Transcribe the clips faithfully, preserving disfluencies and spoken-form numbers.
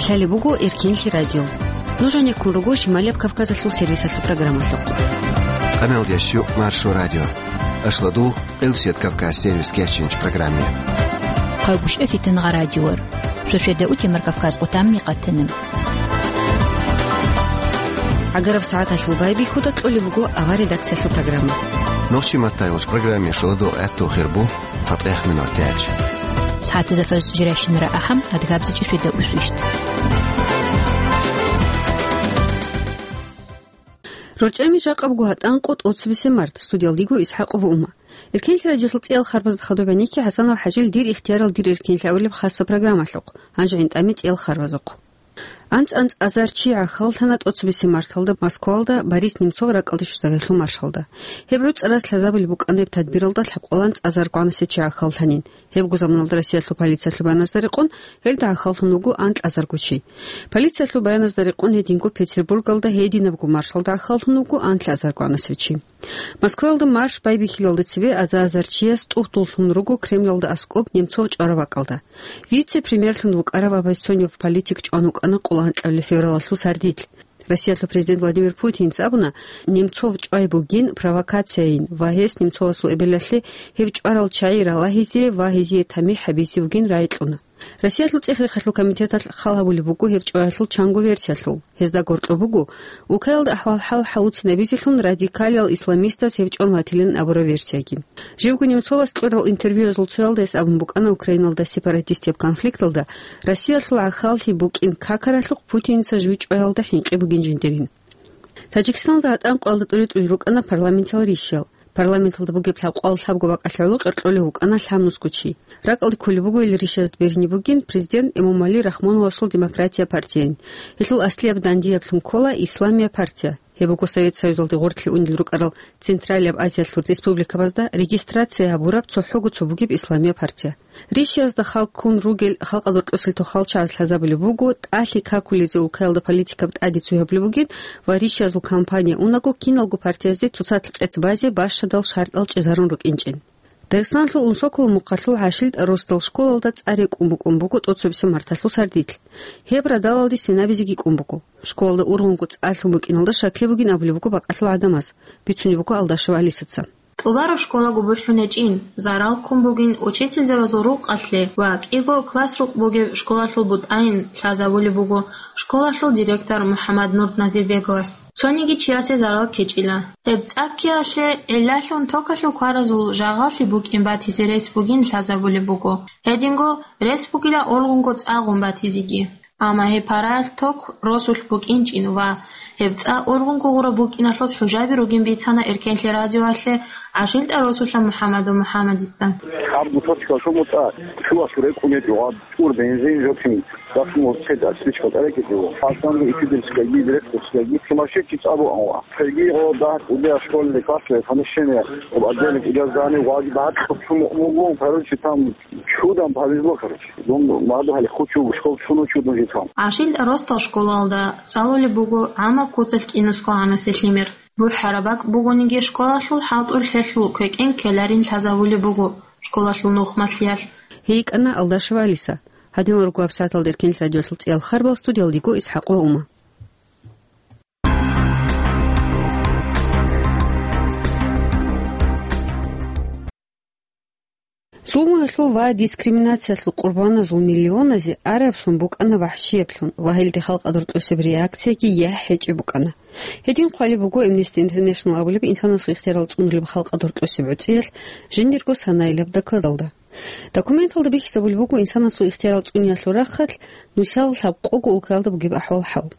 Лъалеб буго Эркенлъи радио. Нуж гьанеккун руго Шималияб Кавказалъул сервисалъул программалъухъ. Къаналдияс щук Маршо радио. Ашладу Къилсият Кавказ сервис кечинч программе. Хъагушев Фитингъа радиор. Шошеда утемар Кавказ къутамми къатанам. ГӀагараб сагӀаталъул байбихьуда кьолеб буго авар редакциялъул программа. Нохчи маттайгъуч программе шоладо гӀатту хирбу. ЦатӀехъ минутач. СагӀатазда фаз жирайщинара ахӀам, адгабзичӀеб шведа усвищт. РорчӀами жакъабго гьатӀан къо тӀоцебесеб март, студиялдиго ИсхӀакъова Ума. Эркенлъи радиосул цӀиял харбазда хадуб гьанихьи ХӀасанов ХӀажил «Дир ихтиярал дир эркенлъи» абулеб хасаб программалъухъ, гьанже гӀинтӀаме цӀиял харбазухъ. АнцӀ-анцӀазар чи гӀахьаллъана тӀоцебесеб марталда Москвалда Борис Немцов ракӀалде щвезавиялъул маршалда. Гьеб гӀуцӀарас лъазабулеб букӀана гьеб тадбиралда лъабкъоялда анцӀазарго гӀанасев чи гӀахьаллъанин. Гьебго заманалда Россиялъул полициялъул баяназда рекъон, гьелда гӀахьаллъун вуго анкьазарго чи. Полициялъул баяназда рекъон гьединго Петербургалда гьединабго маршалда гӀахьаллъун вуго анлъазарго гӀанасев чи. Москваялда марш байбихьулалда цебе аза-азар чияс тӀубдуллъун руго Кремлалда аскӀоб Немцов чӀвараб бакӀалда. Вице-премьерлъун вукӀарав оппозиционный политик чӀван вукӀана къоло анкьабилеб февралалъул сардилъ. Россиялъул президент Владимир Путинца абуна, Немцов чӀвай бугин провокацияйин ва гьес Немцовасул эбелалъе гьев чӀварал чагӀи ралагьизе ва гьезие тамихӀ гьабизе бугин рагӀи кьуна. Россиялъул цӀех-рехалъул комитеталъ хал гьабулеб буго гьев чӀваялъул чанго версиялъул. Гьезда гьоркьоб буго, улкаялда ахӀвал-хӀал хӀалуцинабизелъун радикалиял исламистаз гьев чӀван ватилин абураб версияги. Живго Немцовас кьурал интервьюязул цоялда гьес абун букӀана Украиналда сепаратистияб конфликталда Россиялъул гӀахьаллъи букӀин какаралъухъ Путинца жив чӀваялда хӀинкъи бугин жиндирин. Таджикистаналда гьатӀан къоялда тӀури-тӀури рукӀана парламентал ришиял. Парламенталда бугеб лъабкъоялда лъабго бакӀалъе гӀоло къеркьолев вукӀана лъабнусго чи. РакӀалде кколеб буго гьел ришазда бергьни бугин президент Эмомали Рахмоновасул Демократия партияйин. Гьелъул аслияб дандияблъун ккола Исламия партия. Гьеб буго Совет Союзалде гъорлъе унел рукӀарал Централияб Азиялъул республикабазда регистрация гьабураб цохӀого цо бугеб Исламия партия. Ришиязда хал ккун ругел халкъалда рокьосел тохал чагӀаз лъазабулеб буго, тӀалъи какулезе улкаялда политикаб тӀаде цо гьабулеб бугин ва ришиязул кампания унаго киналго партиязде цоцазда къец базе бащадал шартӀал чӀезарун рукӀинчӀин. Дагъистаналъул Унсоколо мухъалъул ГӀашилтӀа росдал школалда цӀар рекӀун букӀун буго тӀоцебесеб марталъул сардилъ. Гьеб радалалде сценабизеги кӀун буго. Школалда ургъунго цӀар лъун букӀиналда щаклъи бугин абулеб буго бакӀалъул гӀадамаз, бицунеб буго Алдашева Алисаца. ТӀубараб школаго бухӀун гьечӀин, зарал ккун бугин учительзабазул рукъалъе ва кӀиго класс рукъ бугеб школалъул бутӀайин лъазабулеб буго школалъул директор МухӀаммаднур Назирбеговас. Цониги чиясе зарал ккечӀила. Гьеб цӀаккиялъе гӀиллалъун токалъул кваразул жагъаллъи букӀин батизе рес бугин лъазабулеб буго. Гьединго рес бугила ургъунго цӀар гъун батизеги. Амма гьеб параялъ ток росулъ букӀинчӀин ва гьеб цӀар ургъунго гъураб букӀиналъул хӀужаби ругин бицана Эркенлъи радиоялъе ГӀашилтӀа росулъа МухӀаммадов МухӀаммадица. Гьаб гусачка шумуца чуялъ рекӀун гьечӀо, гьаб чӀур бензин жо цин, дасму цед асличка тӀарекӀичӀо, пасанго итидерскайги, директорскайги, сумасшедший цӀар бугӀан ва. Цайги гъо дагь кӀудияб школьный классалъе помещение, об отдельный кӀудияб здание, ваги багьа чӀухъ чумукъ мугун, короче, там чудан повезло, короче. Дун мадугьали хучу школ чуну чудун житал. ГӀашилтӀа росдал школалда цӀалулеб буго гӀамаб куцалъ кӀинусго гӀанасел лъимер. БухӀараб бакӀ бугониги, школалъул хӀалтӀулъ гьелъул квекӀен ккеларин лъазабулеб буго школалъул нухмалъиялъ. ГьейкӀана Алдашева Алиса. Гьадинал руго гьабсагӀаталда Эркенлъи радиолъул цӀиял харбал, студиялдиго ИсхӀакъова Ума. Зулмуялъул ва дискриминациялъул къурбаназул миллионазе араб сон букӀана вахӀшияблъун ва гьелде халкъалда рокьосеб реакцияги яхӀ гьечӀеб букӀана. Гьедин хъвалеб буго Amnesty International абулеб инсанасул ихтиярал цӀунулеб халкъалда рокьосеб гӀуцӀиялъ жиндирго санаилаб докладалда. Документалда бихьизабулеб буго инсанасул ихтиярал цӀуниялъул рахъалъ нусал лъабкъого улкаялда бугеб ахӀвал-хӀал.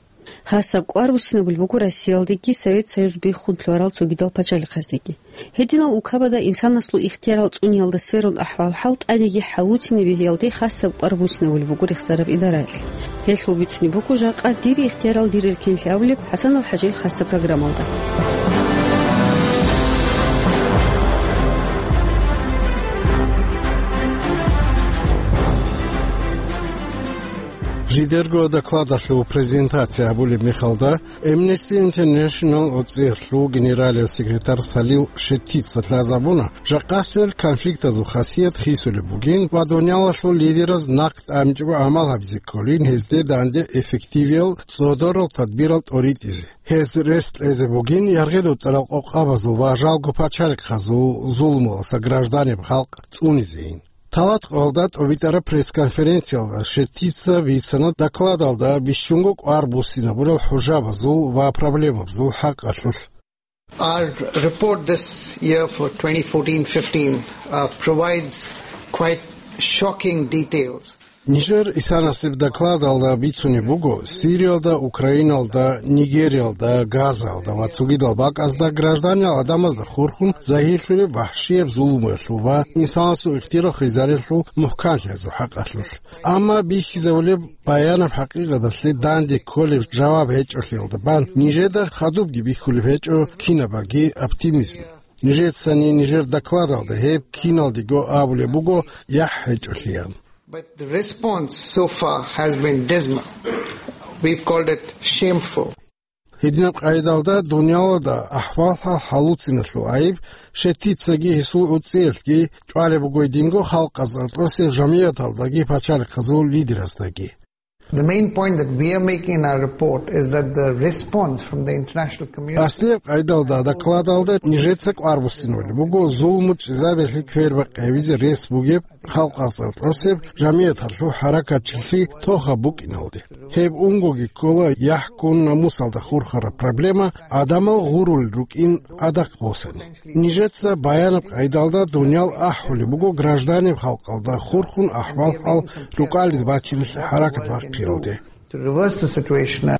Хасаб кӀвар буссинабулеб буго Россиялдеги Совет Союз биххун лъугьарал цогидал пачалихъаздеги. Гьединал улкабада инсанасул ихтиярал цӀуниялда сверун ахӀвал-хӀал тӀадеги хӀалуцин бегьиялде хасаб кӀвар буссинабулеб буго рехсараб идараялъ. Гьелъул бицунеб буго жакъа «Дир ихтиярал дир эркенлъи» абулеб ХӀасанов ХӀажил хасаб программалда. Жидерго докладалъул презентация гьабулеб мехалда, Amnesty International гӀуцӀиялъул генералияб секретарь Салил Шеттица лъазабуна, жакъасел конфликтазул хасият хисулеб бугин ва дуниялалъул лидераз нахъ тӀамичӀого гӀамал гьабизе кколин гьезде данде эффективиял цӀодорал тадбирал тӀоритӀизе. Гьез рес кьезе бугин яргъи-дуцӀарал къокъабазул ва жалго пачалихъазул зулмуялдаса гражданиб халкъ цӀунизейин. Талат къоялда тӀобитӀараб пресс-конференциялда Шеттица бицана докладалда бищунго кӀвар буссинабурал хӀужабазул ва проблемабазул хӀакъалъулъ. Our report this year for twenty fourteen fifteen, uh, provides quite shocking details. Нижер исанасеб докладалда бицунеб буго, Сириялда, Украиналда, Нигериялда, Газаялда ва цогидал бакӀазда гражданиял гӀадамазда хурхун загьирлъулеб вахӀшияб зулмуялъул ва инсанасул ихтияр хвезарелъул мухӀканлъиязул хӀакъалъулъ. Амма бихьизабулеб баянаб хӀакъикъаталъе данде кколеб жаваб гьечӀолъиялда бан нижеда хадубги бихьулеб гьечӀо кинабаги оптимизм. Нижецани нижер докладалда гьеб киналдего абулеб буго яхӀ гьечӀолъиян. But the response so far has been dismal. We've called it shameful. Гьединаб къайдалда дуниялалда ахӀвал-хӀал хӀалуциналъул айиб Шеттицаги гьесул гӀуцӀиялъги чӀвалеб буго гьединго халкъазул гӀоркьосеб жамигӀаталдаги пачалихъазул лидераздаги. The main point that we are making in our report is that the response from the international community Аслияб къайдалда докладалда нижеца кӀвар буссинабулеб буго зулму чӀезабиялъе квербакъи гьабизе рес бугеб халкъазул гӀоркьосеб жамигӀаталъул хӀаракатчилъи тохаб букӀиналде. Гьеб унгоги ккола яхӀ-ккун намусалда хурхараб проблема гӀадамал гъурулел рукӀин гӀадахъ босани. Нижеца баянаб къайдалда дуниял ахӀулеб буго гражданиб халкъалда хурхун ахӀвал-хӀал рукӀалде бачиналъе хӀаракат бахъиялде. To reverse the situation.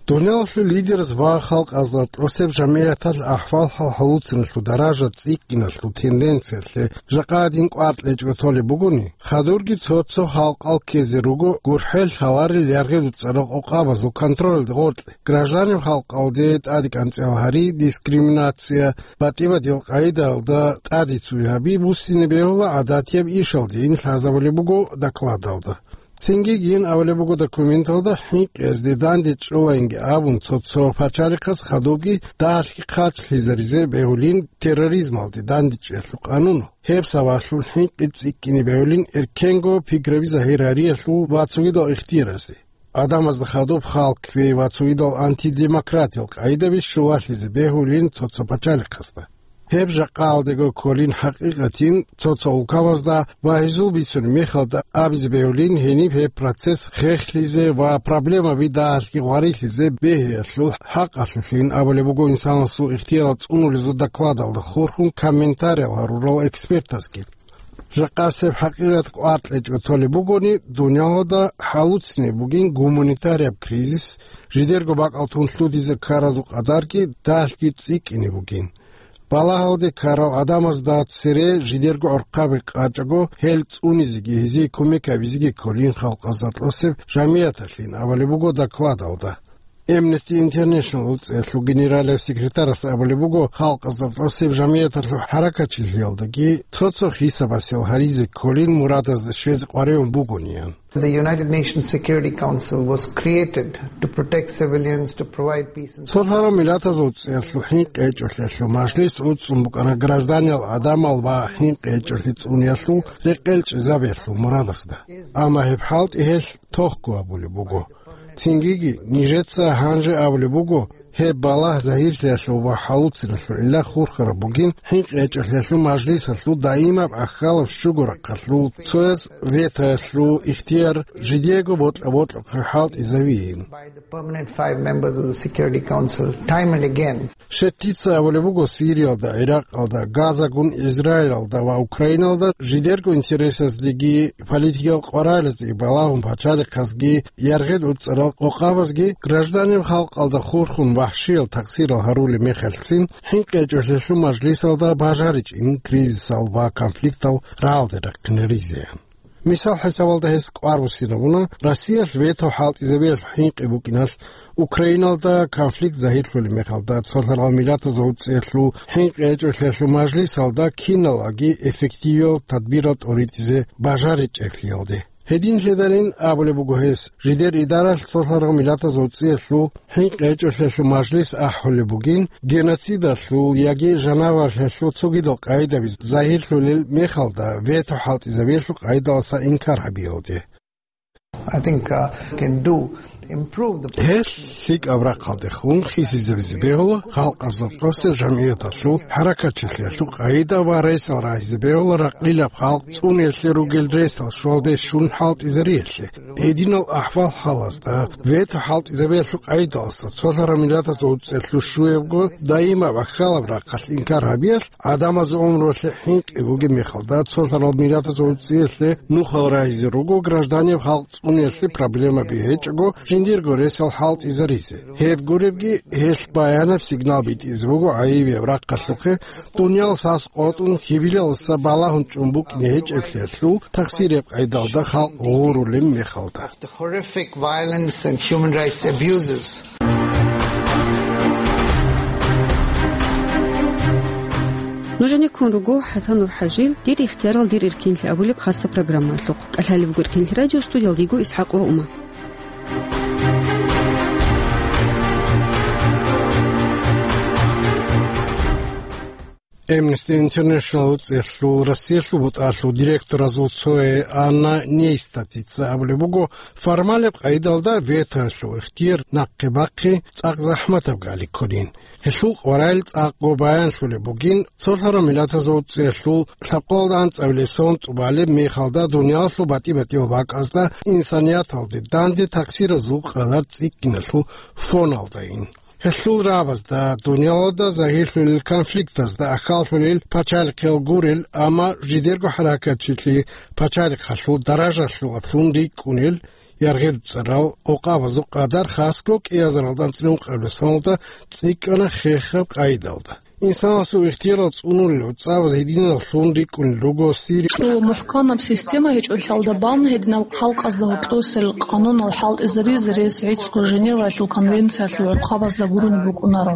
Дуниялалъул лидераз ва халкъазда тӀосеб жамигӀаталъ ахӀвал-хӀал хӀалуциналъул даража цӀикӀкӀиналъул тенденциялъе жакъа гьадин кӀвар кьечӀого толеб бугони, хадурги цо-цо халкъал ккезе руго гурхӀел лъаларел яргъи-дуцӀарал къокъабазул контролалде гъоркье, гражданиб халкъалде тӀадекӀанцӀал гьари, дискриминация, батӀи-бадил къайдаялда тӀаде цуй гьаби буссине бегьула гӀадатияб ишалдейин лъазабулеб буго докладалда. Цинги гьин абулеб буго документалда, хӀинкъиязде дандечӀолайинги абун цо-цо пачалихъаз хадубги дагьалъги хъачлъизаризе бегьулин терроризмалде дандечӀиялъул къанунал. Гьеб сабаблъун хӀинкъи цӀикӀкӀине бегьулин эркенго пиграби загьир гьариялъул ва цогидал ихтияразе. Адамазда хадуб халкъ кквей ва цогидал антидемократиял къайдаби щулалъизе бегьулин цо-цо пачалихъазда. Гьеб жакъаялдего кколин хӀакъикъатин цо-цо улкабазда ва гьезул бицунеб мехалда абизе бегьулин гьениб гьеб процесс хехлъизе ва проблемаби дагьалъги гъварилъизе бегьиялъул хӀакъалъулъин абулеб буго инсанасул ихтиярал цӀунулезул докладалда хурхун комментариял гьарурал экспертазги. Жакъасеб хӀакъикъат кӀвар кьечӀого толеб бугони, дуниялалда хӀалуцинеб бугин гуманитарияб кризис, жидерго бакӀал тун лъудизе ккаразул къадарги дагьалъги цӀикӀкӀине бугин. Балагьалде ккарал гӀадамазда цере жидерго гӀорхъаби къачӀаго, гьел цӀунизеги гьезие кумек гьабизеги кколин халкъазда тӀосеб жамигӀаталъин абулеб буго докладалда. Amnesty International гӀуцӀиялъул генералияб секретарас абулеб буго, халкъазда тӀосеб жамигӀаталъул хӀаракатчилъиялдаги цо-цо хисабасел гьаризе кколин мурадазда щвезе къваригӀун бугониан. The United Nations Security Council was created to protect civilians, to provide peace and Цолъарал Миллатазул ГӀуцӀиялъул ХӀинкъи ГьечӀолъиялъул мажлис гӀуцӀун букӀана гражданиял гӀадамал ва хӀинкъи гьечӀолъи цӀуниялъул рекъел чӀезабиялъул мурадасда. Амма гьеб хӀалтӀи гьелъ тохго абулеб буго. Цингиги нижеца гьанже абулеб буго, гьеб балагь загьирлъиялъул ва хӀалуциналъул гӀилла хурхараб бугин ХӀинкъи ГьечӀолъиялъул мажлисалъул даимаб ахьалаб щуго рахъалъул цояз ветоялъул ихтияр жидего бокьа-бокьухъе хӀалтӀизавейин. By the permanent five members of the Security Council time and again. Шеттица абулеб буго, Сириялда, ГӀиракъалда, Газагун Израилалда ва Украиналда жидерго интересаздеги политикиял къваралаздеги балагьун пачалихъазги яргъи-дуцӀарал къокъабазги гражданиял халкъалда хурхун вахӀшиял такъсирал гьарулеб мехалъцин ХӀинкъи ГьечӀолъиялъул мажлисалда бажаричӀин кризисал ва конфликтал рагӀалде рахъинаризеян. Мисал хӀисабалда гьес кӀвар буссинабуна Россиялъ вето хӀалтӀизабиялъул хӀинкъи букӀиналъ, Украиналда конфликт загьирлъулеб мехалда Цолъарал Миллатазул ГӀуцӀиялъул ХӀинкъи ГьечӀолъиялъул мажлисалда киналги эффективиял тадбирал тӀоритӀизе бажаричӀеблъиялде. Гьединлъидалин абулеб буго гьес, жидер идаралъ цолъарал миллатазул цӀиялъул хӀинкъи гьечӀолъиялъул мажлис ахӀулеб бугин, геноцидалъул яги жанаварлъиялъул цогидал къагӀидаби загьирлъулел мехалда вето хӀалтӀизабиялъул къагӀидалдаса инкар гьабиялде. I think, uh, can do, improve the Гьелъ лъикӀаб рахъалдехун хисизабизе бегьула халкъазул къосеб жамгӀияталъул хӀаракатчилъиялъул къагӀида ва ресал рагьизе бегьула ракъилаб халкъ цӀуниялъе ругел ресал щвалде щун хӀалтӀизариялъе. Гьединал ахӀвал-хӀалазда вето хӀалтӀизабиялъул къагӀидалдаса цолъарал миллатазул цӀиялъул щуябго даимаб ахьалаб рахъалъ инкар гьабиялъ гӀадамазул гӀумруялъе хӀинкъи бугеб мехалда цолъарал миллатазул цӀиялъе нухал рагьизе руго гражданияв халкъ цӀуниялъе проблемаби гьечӀого жиндирго ресал хӀалтӀизаризе. Гьеб гуребги гьелъ баянаб сигнал битӀизе буго гӀайибияб рахъалъухъе, дуниял сас къотӀун, гьибилалдаса балагьун чӀун букӀине гьечӀеблъиялъул тахсирияб къайдалда халкъ гъурулеб мехалда. The horrific violence and human rights abuses. Нужеда ккун руго ХӀасанов ХӀажил «Дир ихтиярал, дир эркенлъи» абулеб хасаб программалъухъ. КӀалъалеб буго Эркенлъи радио, студиялда йиго ИсхӀакъ ва Ума. Amnesty International цӀехлъул Россиялъул бутӀалъул директоразул цое Анна Нейстатица абулеб буго, формалаб къайдалда ветоялъул ихтияр нахъе бахъи цӀакъ захӀматаб гали кколин. Гьелъул къварал цӀакъго баянлъулеб бугин, цолъарал миллатазул цӀехлъул лъабкъоялда анцӀабилеб сон тӀубалеб мехалда дуниялалъул батӀи-батӀиял бакӀазда инсанияталде данде такъсиразул къадар цӀикӀкӀиналъул фоналдайин. Гьелъул рабазда, дуниялалда загьирлъулел конфликтазда ахьаллъулел пачалихъал гурел, амма жидерго хӀаракатчилъи пачалихъалъул даражалъулаблъун рикӀкӀунел яргъи-ручӀарал къокъабазул къадар хасго кӀиазаралда анцӀила ункъабилеб соналда цӀикӀкӀана хехаб къайдалда. Инсанасул ихтиярал цӀунулел гӀуцӀабаз гьединаллъун рикӀкӀунел руго Сири. Цо мухӀканаб система гьечӀолъиялда бан гьединал халкъазда гьоркьосел къанунал хӀалтӀизаризе рес гӀицӀго Женеваялъул конвенциялъул гӀурхъабазда гурони букӀунаро.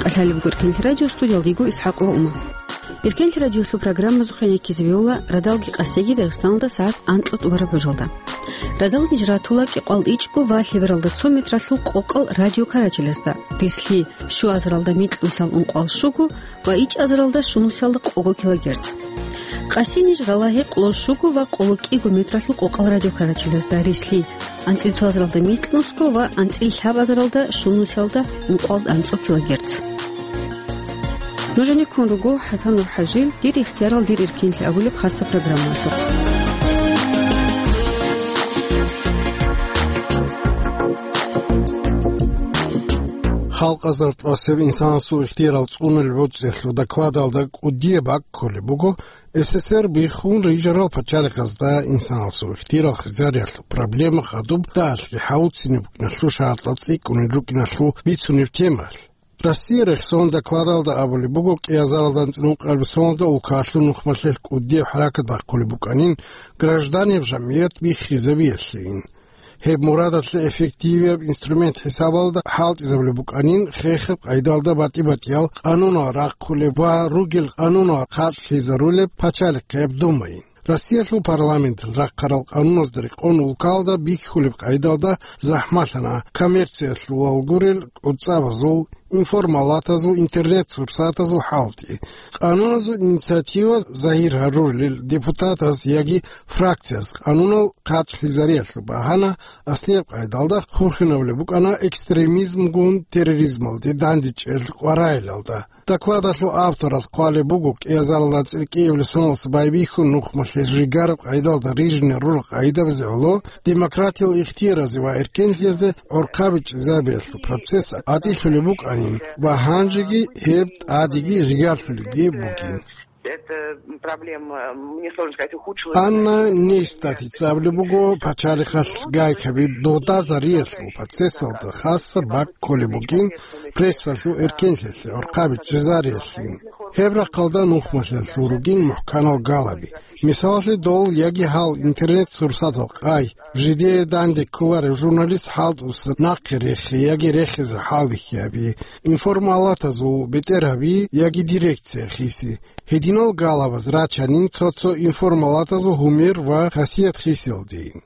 КӀалъалеб буго Эркенлъи радио, студиялда йиго ИсхӀакъ ва Ума. Эркенлъи радиолъул программазухъе реккизе бегьула радалги къасиги Дагъистаналда сагӀат анкьа тӀубараб гӀужалда. Радал ниж ратула кӀикъоялда ичӀго ва лъебералда цо метралъул къокъал радиокарачелазда, рислъи щуазаралда микьнусал ункъоялда щуго ва ичӀазаралда щунусалда къого килогерц. Къаси ниж рала гьекъолда щуго ва къоло кӀиго метралъул къокъал радиокарачелазда, рислъи анцӀила цоазаралда микьнусго ва анцӀила лъабазаралда щунусалда ункъоялда анцӀго килогерц. Нужеда ккун руго ХӀасанов ХӀажил «Дир ихтиярал, дир эркенлъи» абулеб хасаб программалъухъ. Халкъазул къосеб инсанасул ихтиярал цӀунулел гӀуцӀиялъул докладалда кӀудияб бакӀ кколеб буго СССР биххун рижарал пачалихъазда инсанасул ихтиярал хизариялъул проблема хадуб дагьалъги хӀалуцинеб букӀиналъул шартӀал цӀикӀкӀунел рукӀиналъул бицунеб темаялъ. Россия рехсон докладалда абулеб буго, кӀиазаралда анцӀила ункъабилеб соналда улкаялъул нухмалъилъ кӀудияб хӀаракат бахъулеб букӀанин, гражданиял жамгӀият биххизабиялъейин. Гьеб мурадалъе эффективияб инструмент хӀисабалда хӀалтӀизабулеб букӀанин, хехаб къайдалда батӀи-батӀиял къанунал рахъулеб ва ругел къанунал хъачӀлъизарулеб пачалихъияб Думайин. Россиялъул парламенталъ рахъарал къануназда рекъон улкалда бихьулеб къайдалда захӀмалъана коммерциялъулал гурел гӀуцӀабазул, информалатазул, интернет-сурсатазул хӀалтӀи. Къануназул инициатива загьир гьарурел депутатаз яги фракцияз къанунал хъачӀлъизариялъул багьана аслияб къайдалда хурхинабулеб букӀана экстремизмгун терроризмалде дандечӀел къваригӀелалда. Докладалъул автораз хъвалеб буго, кӀиазаралда анцӀила кӀиабилеб соналъ байбихьун нухмалъе жигараб къайдалда рижине рурал къагӀидабазе гӀоло, демократиял ихтияразе ва эркенлъиялъе гӀурхъаби чӀезабиялъул процесс гӀатӀилъулеб букӀанин ва гьанжеги гьеб тӀадеги жигарлъулебги бугин. Это проблема, мне сложно сказать, ухудшилась. Анна Нейстатица абулеб буго, пачалихъалъ гайкаби додазариялъул процессалда хасаб бакӀ кколеб бугин прессалъул эркенлъиялъе гӀурхъаби чӀезариялъин. Гьеб рахъалда нухмалъиялъул ругин мухӀканал галаби. Мисалалъе, дол яги гьал интернет-сурсатал къай, жидее данде кколарев журналист хӀалтӀуса нахъе рехе яги рехизе хӀалбихьи гьаби, информалатазул бетӀергьаби яги дирекция хиси. Гьединал галабаз рачанин цо-цо информалатазул гьумер ва хасият хисиялдейин.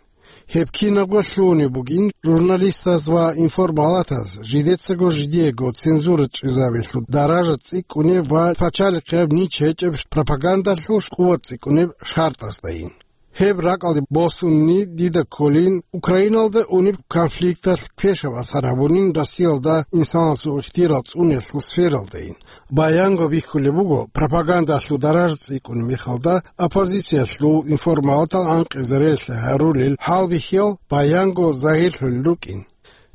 Гьеб кинабго лъугьунеб бугин журналистаз ва информалатаз жидецаго жидеего цензура чӀезабиялъул даража цӀикӀкӀунеб ва пачалихъияб нич гьечӀеб пропагандалъул къуват цӀикӀкӀунеб шартӀаздайин. Гьеб ракӀалде босунни дида кколин Украиналда унеб конфликталъ квешаб асар гьабунин Россиялда инсанасул ихтияр цӀуниялъул сфералдайин. Баянго бихьулеб буго, пропагандалъул даража цӀикӀкӀунеб мехалда оппозициялъул информалатал гӀанкъизареялъе гьарулел хӀалбихьиял баянго загьирлъулел рукӀин.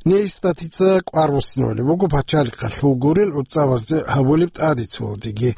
Ней статьица кӀвар буссинабулеб буго пачалихъалъул гурел гӀуцӀабазде гьабулеб тӀадицуялдеги.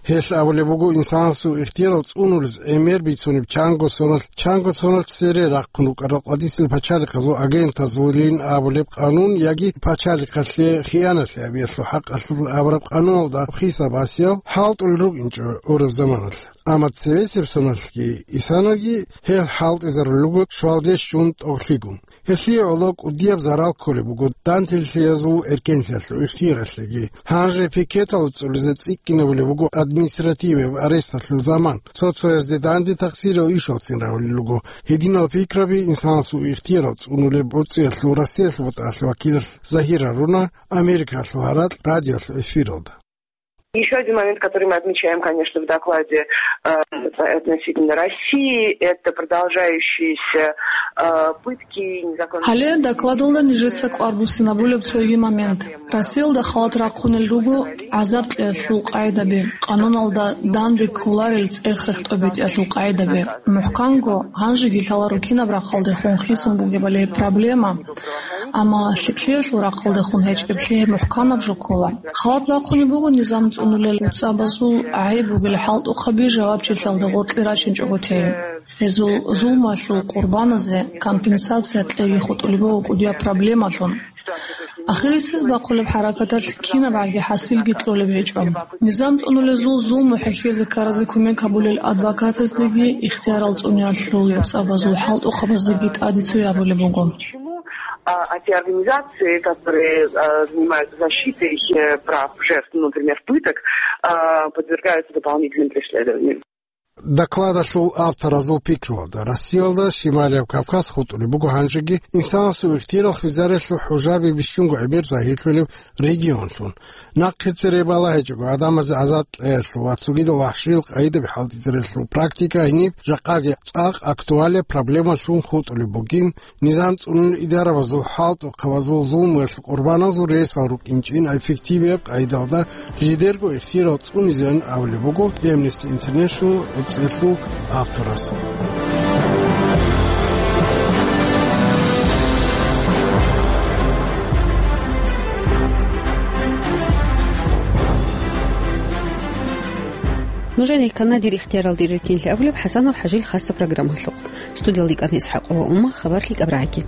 Гьелъ абулеб буго инсанасул ихтияр цӀунулез гӀемер бицунеб чанго соналъ, чанго соналъ цере рахъун рукӀарал къадисел пачалихъазул агентазулин абулеб къанун яги пачалихъалъе хиянат гьабиялъул хӀакъалъулъ абураб къануналда хисаб басиял хӀалтӀулел рукӀинчӀо гӀураб заманалъ. Амма цебесеб соналъги исанаги гьел хӀалтӀизарулел руго щвалде щун тӀоглъигун. Гьелъие гӀоло кӀудияб зарал кколеб буго дандилъиязул эркенлъиялъул ихтияралъеги. Гьанже пикетал цӀулизе цӀикӀкӀинабулеб буго административияб аресталъул заман. Цо-цоязде данде тахсирал ишалцин равулел руго. Гьединал пикраби инсанасул ихтиярал цӀунулеб гӀурцӀиялъул Россиялъул БутӀалъул вакилалъ загьир гьаруна Америкалъул гьаракь радиолъул эфиралда. Ещё один момент, который мы отмечаем, конечно, в докладе, э, относительно России, это продолжающиеся, э, пытки, незаконные... Гьале докладалда нижеца кӀвар буссинабулеб цоги момент. Россиялда халат рахъунел руго гӀазаб кьеялъул къагӀидаби, къануналда данде кколарел цӀех рехтӀобитӀиялъул къагӀидаби. МухӀканго, гьанжеги лъаларо кинаб рахъалдехун хисун бугебали проблема, амма лъикӀлъиялъул рахъалдехун гьечӀеблъи гьеб мухӀканаб жо ккола. Халат бахъунеб буго низам цӀунулел гӀуцӀабазул гӀайиб бугел хӀалтӀухъаби жавабчилъиялда гъоркье рачинчӀого тей. Гьезул зулмуялъул къурбаназе компенсация кьеги хутӀулеб буго кӀудияб проблемалъун. Ахирисез бахъулеб хӀаракаталъ кинабгӀаги хӀасилги кьолеб гьечӀо. Низам цӀунулезул зулму хӀехьезе ккаразе кумек гьабулел адвокатаздеги ихтиярал цӀуниялъул гӀуцӀабазул хӀалтӀухъабаздеги тӀадицу гьабулеб буго. А, а те организации, которые, а, занимаются защитой, э, прав жертв, ну, например, пыток, а, подвергаются дополнительным преследованиям. Докладалъул авторазул пикруялда, Россиялда Шималияб Кавказ хутӀулеб буго гьанжеги инсанасул ихтияр хвезариялъул хӀужаби бищунго гӀемер загьирлъулеб регионлъун. Нахъе цере балагьичӀого гӀадамазе гӀазаб кьеялъул ва цогидал вахӀшиял къагӀидаби хӀалтӀизариялъул практика гьениб жакъаги цӀакъ актуалияб проблемалъун хутӀулеб бугин, низам цӀунулел идарабазул хӀалтӀухъабазул зулмуялъул къурбаналъул ресал рукӀинчӀин эффективияб къагӀидалда жидерго ихтияр цӀунизеян абулеб буго Amnesty International гӀурцӀиялъул авторас. Нужеда ккана дир ихтияралде рекенлъи абулеб ХӀасанов ХӀажил хасаб программалъухъ. Студиялда йикӀана ИсхӀакъова Умма, хабар лъикӀаб рагӀаги.